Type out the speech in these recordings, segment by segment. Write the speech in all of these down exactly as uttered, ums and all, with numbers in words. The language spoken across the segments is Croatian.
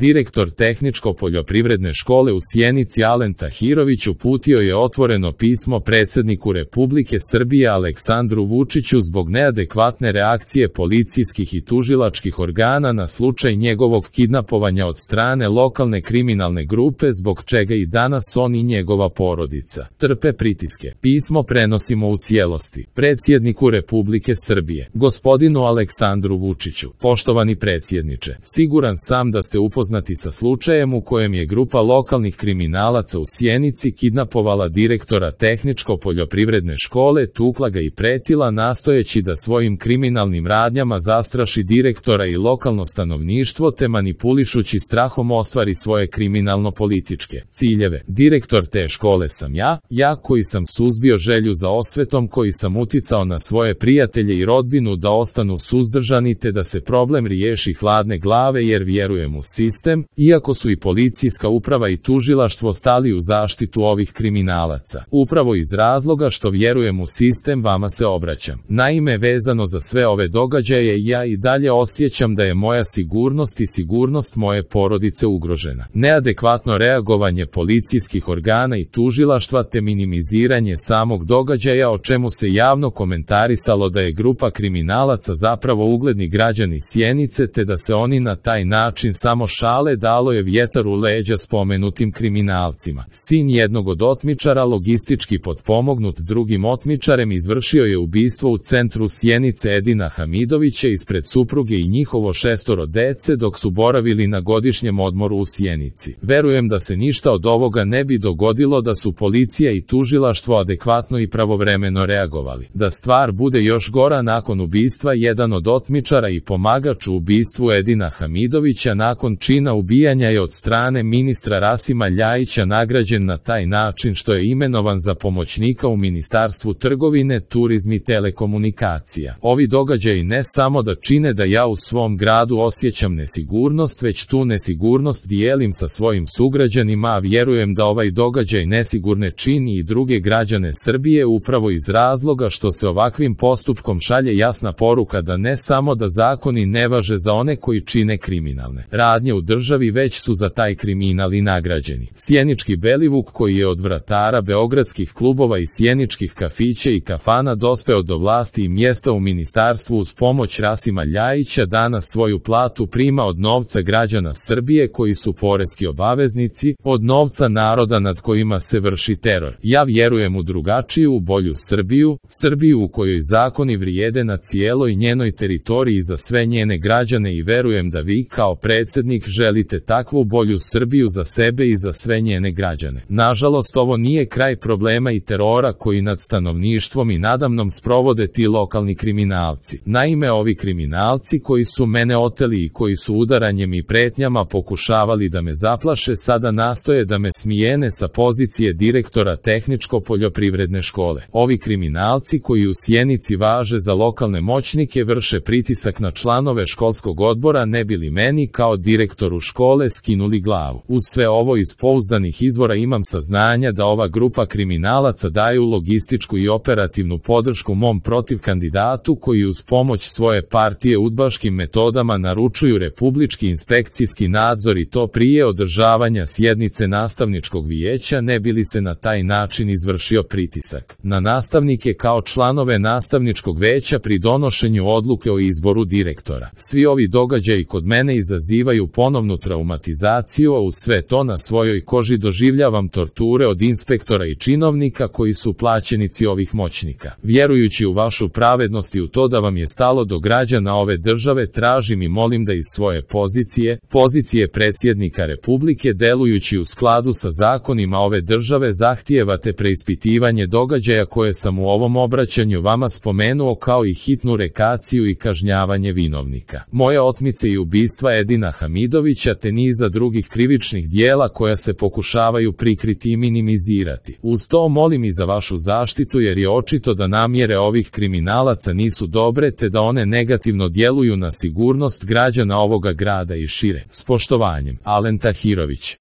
Direktor Tehničko-poljoprivredne škole u Sjenici Alen Tahirović uputio je otvoreno pismo predsjedniku Republike Srbije Aleksandru Vučiću zbog neadekvatne reakcije policijskih i tužilačkih organa na slučaj njegovog kidnapovanja od strane lokalne kriminalne grupe, zbog čega i danas on i njegova porodica trpe pritiske. Pismo prenosimo u cijelosti predsjedniku Republike Srbije, gospodinu Aleksandru Vučiću. Poštovani predsjedniče, siguran sam da ste upoznati sa slučajem u kojem je grupa lokalnih kriminalaca u Sjenici kidnapovala direktora Tehničko-poljoprivredne škole, tukla ga i pretila nastojeći da svojim kriminalnim radnjama zastraši direktora i lokalno stanovništvo te manipulišući strahom ostvari svoje kriminalno-političke ciljeve. Direktor te škole sam ja, ja koji sam suzbio želju za osvetom, koji sam uticao na svoje prijatelje i rodbinu da ostanu suzdržani te da se problem riješi hladne glave jer vjerujem u sistem, iako su i policijska uprava i tužilaštvo stali u zaštitu ovih kriminalaca. Upravo iz razloga što vjerujem u sistem vama se obraćam. Naime, vezano za sve ove događaje, ja i dalje osjećam da je moja sigurnost i sigurnost moje porodice ugrožena. Neadekvatno reagovanje policijskih organa i tužilaštva te minimiziranje samog događaja, o čemu se javno komentarisalo da je grupa kriminalaca zapravo ugledni građani Sjenice te da se oni na taj način samo šale, dalo je vjetar u leđa spomenutim kriminalcima. Sin jednog od otmičara, logistički potpomognut drugim otmičarem, izvršio je ubistvo u centru Sjenice Edina Hamidovića ispred supruge i njihovo šestoro dece dok su boravili na godišnjem odmoru u Sjenici. Verujem da se ništa od ovoga ne bi dogodilo da su policija i tužilaštvo adekvatno i pravovremeno reagovali. Da stvar bude još gora, nakon ubistva jedan od otmičara i pomagač u ubistvu Edina Hamidovića nakon čina ubijanja je od strane ministra Rasima Ljajića nagrađen na taj način što je imenovan za pomoćnika u Ministarstvu trgovine, turizma i telekomunikacija. Ovi događaji ne samo da čine da ja u svom gradu osjećam nesigurnost, već tu nesigurnost dijelim sa svojim sugrađanima, a vjerujem da ovaj događaj nesigurne čini i druge građane Srbije upravo iz razloga što se ovakvim postupkom šalje jasna poruka da ne samo da zakoni ne važe za one koji čine kriminalne radnje u državi, već su za taj kriminal i nagrađeni. Sjenički Belivuk, koji je od vratara beogradskih klubova i sjeničkih kafića i kafana dospeo do vlasti i mjesta u ministarstvu uz pomoć Rasima Ljajića, danas svoju platu prima od novca građana Srbije koji su poreski obaveznici, od novca naroda nad kojima se vrši teror. Ja vjerujem u drugačiju, u bolju Srbiju, Srbiju u kojoj zakoni vrijede na cijeloj njenoj teritoriji za sve njene građane i verujem da vi kao predsjednik želite takvu bolju Srbiju za sebe i za sve njene građane. Nažalost, ovo nije kraj problema i terora koji nad stanovništvom i nadamnom sprovode ti lokalni kriminalci. Naime, ovi kriminalci koji su mene oteli i koji su udaranjem i pretnjama pokušavali da me zaplaše, sada nastoje da me smijene sa pozicije direktora Tehničko-poljoprivredne škole. Ovi kriminalci koji u Sjenici važe za lokalne moćnike vrše pritisak na članove školskog odbora ne bi li meni kao direktoru škole skinuli glavu. Uz sve ovo iz pouzdanih izvora imam saznanja da ova grupa kriminalaca daju logističku i operativnu podršku mom protiv kandidatu koji uz pomoć svoje partije udbaškim metodama naručuju republički inspekcijski nadzor i to prije održavanja sjednice nastavničkog vijeća ne bi li se na taj način izvršio pritisak na nastavnike kao članove nastavničkog veća pri donošenju odluke o izboru direktora. Svi ovi događaji kod mene izazivaju ponovnu traumatizaciju, a uz sve to na svojoj koži doživljavam torture od inspektora i činovnika koji su plaćenici ovih moćnika. Vjerujući u vašu pravednost i u to da vam je stalo do građana ove države, tražim i molim da iz svoje pozicije, pozicije predsjednika Republike, delujući u skladu sa zakonima ove države, zahtijevate preispitivanje događaja koje sam u ovom obraćanju vama spomenuo, kao i hitnu rekaciju i kažnjavanje vinovnika moje otmice i ubistva Edina Hamidovića te niza drugih krivičnih dijela koja se pokušavaju prikriti i minimizirati. Uz to molim i za vašu zaštitu jer je očito da namjere ovih kriminalaca nisu dobre te da one negativno djeluju na sigurnost građana ovoga grada i šire. S poštovanjem, Alen Tahirović.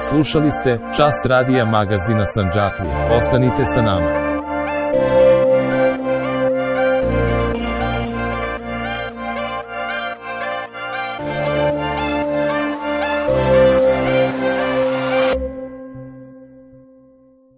Slušali ste Čas radija magazina Sandžaklija. Ostanite sa nama.